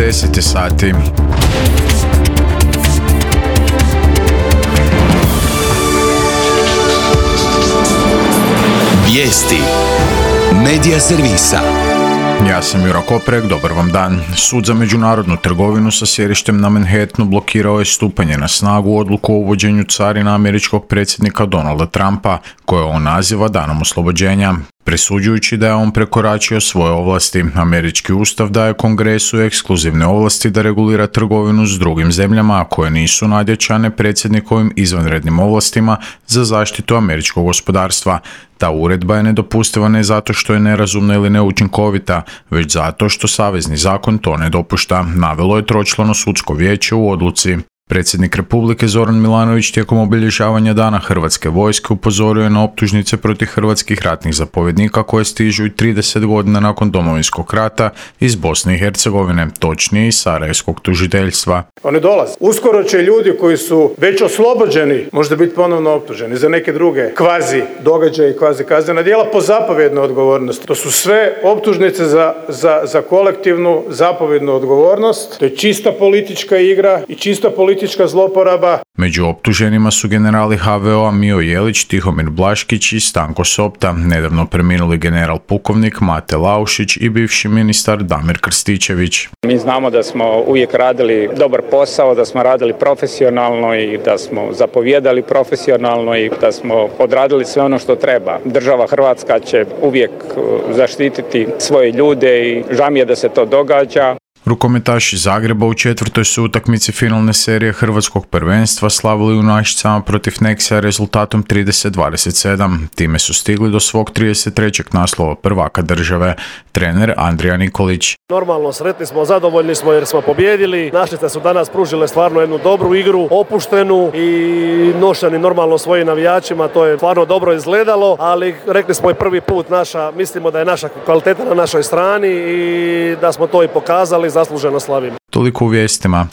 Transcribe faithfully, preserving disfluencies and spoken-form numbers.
deset je sati. Vijesti Medija servisa. Ja sam Jura Koprek, dobar vam dan. Sud za međunarodnu trgovinu sa sjedištem na Manhattanu blokirao je stupanje na snagu odluku o uvođenju carina američkog predsjednika Donalda Trumpa, koje on naziva danom oslobođenja, presuđujući da je on prekoračio svoje ovlasti. Američki ustav daje Kongresu ekskluzivne ovlasti da regulira trgovinu s drugim zemljama koje nisu nadjačane predsjednikovim izvanrednim ovlastima za zaštitu američkog gospodarstva. Ta uredba je nedopustiva ne zato što je nerazumna ili neučinkovita, već zato što savezni zakon to ne dopušta, navelo je tročlano sudsko vijeće u odluci. Predsjednik Republike Zoran Milanović tijekom obilježavanja Dana Hrvatske vojske upozorio je na optužnice protiv hrvatskih ratnih zapovjednika koje stižu i trideset godina nakon Domovinskog rata iz Bosne i Hercegovine, točnije iz Sarajevskog tužiteljstva. Oni dolaze. Uskoro će ljudi koji su već oslobođeni možda biti ponovno optuženi za neke druge kvazi događaje i kvazi kaznena djela po zapovjednoj odgovornosti. To su sve optužnice za, za, za kolektivnu zapovjednu odgovornost. To je čista politička igra i čista politička zloporaba. Među optuženima su generali ha ve o-a Mijo Jelić, Tihomir Blaškić i Stanko Sopta, nedavno preminuli general pukovnik Mate Laušić i bivši ministar Damir Krstičević. Mi znamo da smo uvijek radili dobar posao, da smo radili profesionalno i da smo zapovijedali profesionalno i da smo odradili sve ono što treba. Država Hrvatska će uvijek zaštititi svoje ljude i žao mi je da se to događa. Rukometaši Zagreba u četvrtoj su utakmici finalne serije hrvatskog prvenstva slavili u Našicama protiv Nexia rezultatom trideset dvadeset sedam. Time su stigli do svog trideset trećeg naslova prvaka države. Trener Andrija Nikolić. Normalno, sretni smo, zadovoljni smo jer smo pobijedili. Našice su danas pružile stvarno jednu dobru igru, opuštenu i nošeni normalno svojim navijačima. To je stvarno dobro izgledalo, ali rekli smo i prvi put naša, mislimo da je naša kvaliteta na našoj strani i da smo to i pokazali, zasluženo slavimo. Toliko u vijestima.